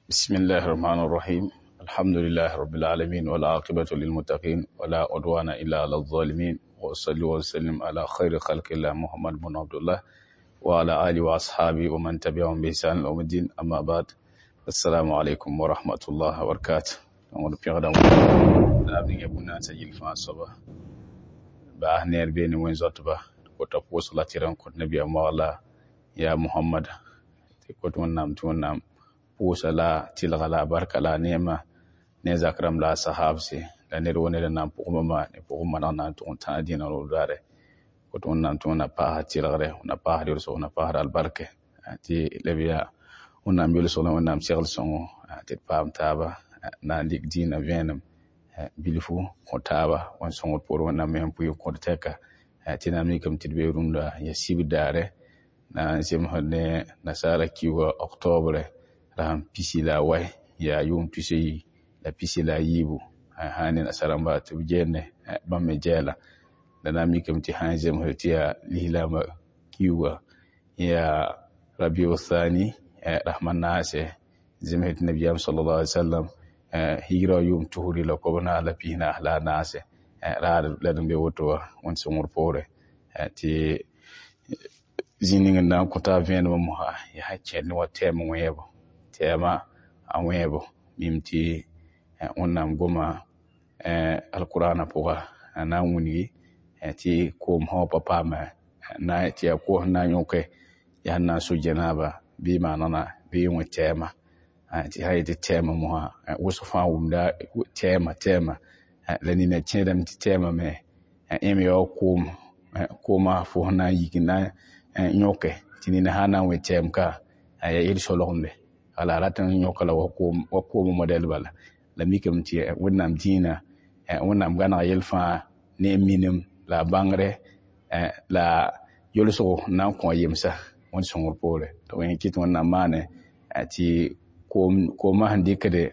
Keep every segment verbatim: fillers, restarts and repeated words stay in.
بسم الله الرحمن الرحيم الحمد لله رب العالمين والعاقبة للمتقين ولا عدوان إلا على الظالمين وأصلي وسلم على خير خلق الله محمد بن عبد الله وعلى آله وأصحابه ومن تبعهم بإحسان إلى يوم الدين أما بعد السلام عليكم ورحمة الله وبركاته n pẽgda la b ning bũmb na n yɩl fãa soaba baas neer beene wẽn-zoatba kota pʋʋsg la tɩ r n kõt nabiyaam wagla yaa Mohamad tɩ kot Wẽnnaam tɩ Wẽnnaam pʋʋsa la tɩlga la a barka la a neema ne a zak rãmb la a sahabse la ned woo ned n na n pʋgẽ bãmba ne pʋgẽ maneg na n tʋg n tãag dĩinã roog daare kot Wẽnnaam tɩ Wẽnnaam paasa tɩlgre Wẽnnaam paasd yʋlsg Wẽnnaam paasd albarke tɩ la b yaa Wẽnnaam yʋlsg la Wẽnnaam segl sõngo tɩ d paam taaba na n dɩk dĩinã vẽenem bilfu kõ taaba wẽn sõngd poor Wẽnnaam me sẽn pʋɩ n kõt tɛka tɩ na n mikame tɩ d bee rũndã yaa sibr daare na n zemsd ne nasaara kiuga octobre rasem pisi la a wai yaa yʋʋm tus a yi la pisi la a yiibu sã ne nasarãmba tɩ b gende bãmb me gɛɛla la na n mikame tɩ sã n zemsd tɩ yaa lislaambã kiuga yaa rabiu thani rasem a naase zemsd tɩ nabiyaam sallallahu alaihi wasallam higra yʋʋm tusri la kob-naas la pis-naas la a naase raad la d n be woto wã wẽnd sõngr poore tɩ zĩig ning n na n kõ t'a vẽenemã mosã yaa sẽn kẽnd wa tɛɛm wẽebo tɛɛmã a wẽebo mim tɩ Wẽnnaam goma alkurana pʋga a na n wilgi tɩ koom sã wa pa paame tɩ yaa koos n na n yõke yaa sẽn na n so janaaba bɩ maanegna bɩ wẽ tɛɛmã tɩ sã n yetɩ tɛɛmã mosã wʋsg fãa wʋmda tɛɛmã tɛɛmã la nina kẽedame tɩ tɛɛmã me yẽ me yaa wa koom koomã fo sẽn na n yik n na n yõke tɩ nina sã n na n wẽ tɛɛm ka yaa yel-solgemde wala a rat n yõka la wa koomã modɛl bala la mikame tɩ Wẽnnaam dĩinã Wẽnnaam gãnega yell fãa ne a minim la a bãngre la yolsgo n na n kõ a yemsa wẽnd sõngr poore tɩ yẽ kɩt Wẽnnaam maane tɩ koomã sẽn dɩkde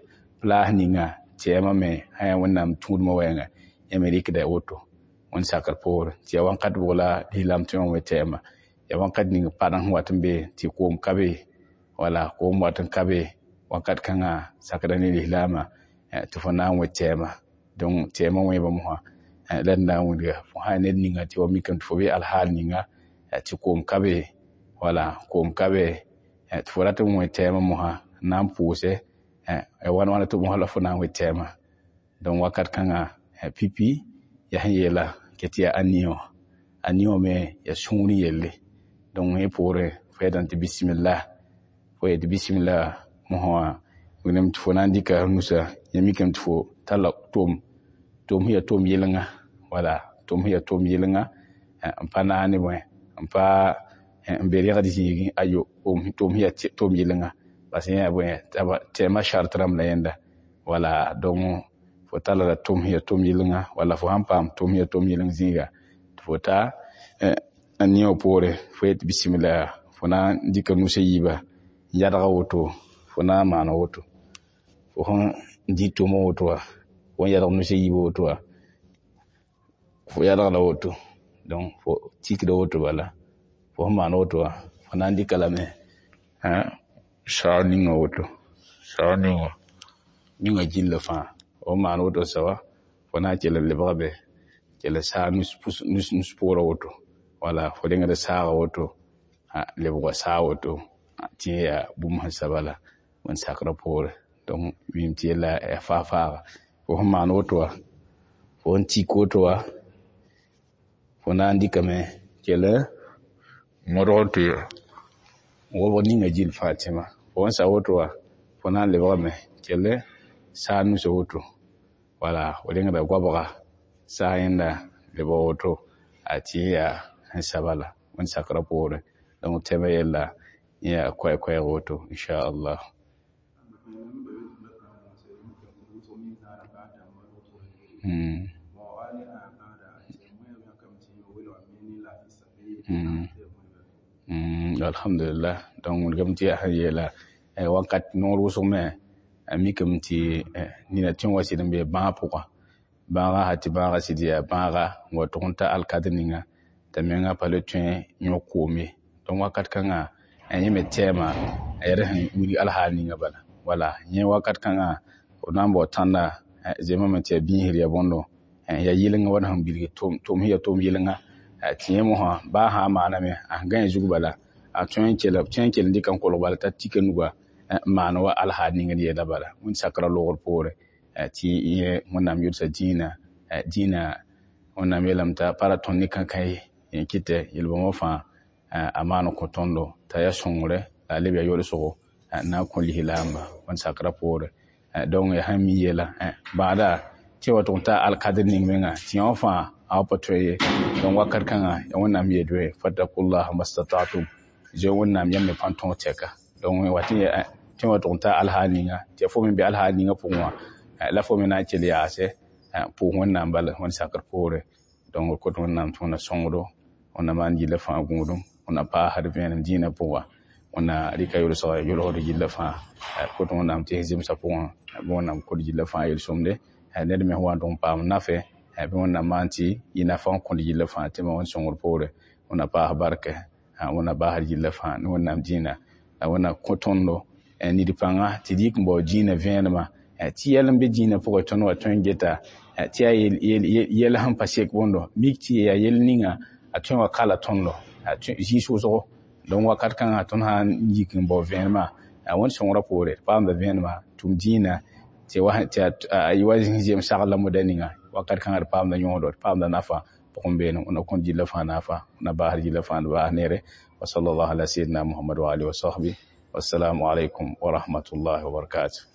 plaas ninga tɛɛmã me sã yaa Wẽnnaam tũudmã wɛɛnga yẽ me rɩkda woto wẽnd sakr poore tɩ yaa wãnkat bʋg la lislaam tõe n wẽ tɛɛmã yaa wãnkat ning padeng sẽn wat n be tɩ koom ka be wala koom wat n ka be wakat kãngã sakda ne lislaamã tɩ fo na n wẽ tɛɛmã donc tɛɛmã wẽebã mosã la d na n wilga fo sã ned ninga tɩ wa mikame tɩ fo be alhaal ninga tɩ koom ka be wala koom ka be tɩ fo rat n wẽ tɛɛmã mosã n na n pʋʋse ya wãna wãna tɩ mosã la fo na n wẽ tɛɛmã donc wakat kãngã pipi yaa sẽn yeela tɩ yaa aniõ aniõ me yaa sũur yelle donc yẽ poorẽ fo yetame tɩ bisimila fo yetɩ bisimila mosã wã wilgame tɩ fo na n dɩka nusa yẽ mikame tɩ fo talla tom tom sẽn yaa tom yɩlenga wala tom sẽn yaa tom yɩlenga n pa naag ne bõe n pa n be rẽgd zĩigẽ ayo tom sẽn yaa tom yɩlenga parce que yẽ yaa bõe tɛɛmã sart rãmb la yẽnda wala donc fo talla la tom sẽn yaa tom yɩlenga wala fo sãn paam tom sẽn yaa tom yɩleng zĩiga tɩ fo ta a niõ poore fo yet bisimila fo na n dɩka nus a yiiba n yadga woto fo na n maana woto fo sẽn dɩ tomã woto wã fo n yadg nus a yiibã woto wã fo yadg la woto donc fo tikda woto bala fo sẽn maan woto wã fo na n dɩka lame saag ninga woto saag ninga ninga gilla fãa fo sẽn maan woto soaba fo na n kell n lebga be kell saag nus pʋʋra woto wala fo rengd saaga woto lebga saag woto tɩ yẽ yaa bũmb sẽn sa bala wẽnd sakrã poore donc mim tɩ yella yaa faag-faaga fo sẽn maan woto wã fo sẽn tik woto wã fo na n dɩkame kell modg tɩ wobg ninga gill fãa tẽma fo sẽn sa woto wã fo na n lebgame kell saag nusa woto wala fo rengda goabga saag yẽnda lebg woto a tɩ yẽ yaa sẽn sa bala wẽnd sakrã poore donc tɛmã yella yẽ yaa koɛɛ-koɛɛg woto inchallah. Mm. Mm. Mm. Alhamdulillah donc wilgame tɩ yaa sẽn yeela wakat noor wʋsg me a mikame tɩ nina tõe n wa sɩd n bee bãag pʋga bãagã sã tɩ bãagã sɩd yaa bãaga n wa tʋg n ta alkadr ninga t'a menga pa le tõe n yõk koom ye donc wakat kãngã Yẽ me tɛɛma a yaa d sẽn wilg alhaal ninga bala. Wala yẽ wakat kãngã b na n bao tãnda zemame tɩ yaa biisd yaa bõndo, yaa yɩlenga wa d sẽn bilg tʋm sẽn yaa tʋʋm yɩlenga, tɩ yẽ mosã baa sã n maaname, a sẽn gãe zug bala, a tõe n kell tõe n kell n dɩka n kolg bala t'a tik a nuga n maan wa alhaal ning d yeela bala. Wẽnd sakrã loogr poore tɩ yẽ Wẽnnaam yʋlsa dĩinã, dĩinã Wẽnnaam yeelame t'a pa ra tõnd ne kãnkã ye, yẽ kɩtɛ yel-bãmbã fãa a maan n kõ tõndo t'a yaa sõngre la a leb yaa yolsgo n na n kõ lislaamba wẽnd sakrã poore. Donc yaa sẽn mi yeela bãada tɩ wa tʋg n taa alkadr ning menga tɩ yã wã fãa a wa pa tõe ye. Donc wakat kãngã yaa Wẽnnaam yeel fattakullah mastata'tum, zoe Wẽnnaam yãmb me pãn tõog tɛka. Donc wa tɩ tɩ wa tʋg n taa alhaal ninga tɩ fo me be alhaal ninga pʋgẽ wã la fo me na n kell yaase pʋʋs Wẽnnaam bala wẽnd sakr poore. Donc d kot Wẽnnaam tɩ Wẽnna sõngdo, Wẽnna maan yilla fãa gũudum, Wẽnna paasd vẽenem dĩinã pʋga, Wẽnna rɩka yʋlsga yʋlsd yilla fãa. D kot Wẽnnaam tɩ zemsã pʋgẽ bɩ Wẽnnaam kõ d yilla fãa yel-sõmde. Ned me sẽn wa n tʋg n paam nafɛ, bɩ Wẽnnaam maan tɩ yɩ nafa n kõt yilla fãa tɩ ma wẽnd sõngr poore. Wẽnna paas barkɛ, Wẽnna basd yilla fãa ne Wẽnnaam dĩinã, la Wẽnna kõ tõndo nid pãnga tɩ d yik n bao dĩinã vẽenemã, tɩ yɛl n be dĩinã pʋgẽ tõnd wa tõe n geta tɩ yaa yɛl sẽn pa sek bõndo, mik tɩ yaa yɛl ninga a tõe n wa kala tõndo zĩig wʋsgo. Donc wakat kãngã tõnd sã n yik n bao vẽenemã, Wẽnd sõngrã poore d paamda vẽenemã tʋm dĩinã tɩ a yɩ wa zĩ-zeem sagl la moda ninga, wakat kãngã d paamda yõodo, d paamda nafa pʋgẽ beene. Wẽnna kõt yilla fãa nafa, Wẽnna basd yilla fãa n baas neere. Wa sallallahu ala sayyidina Muhammad wa alihi wa sahbihi. Wassalamu alaikum wa rahmatullahi wa barakatuh.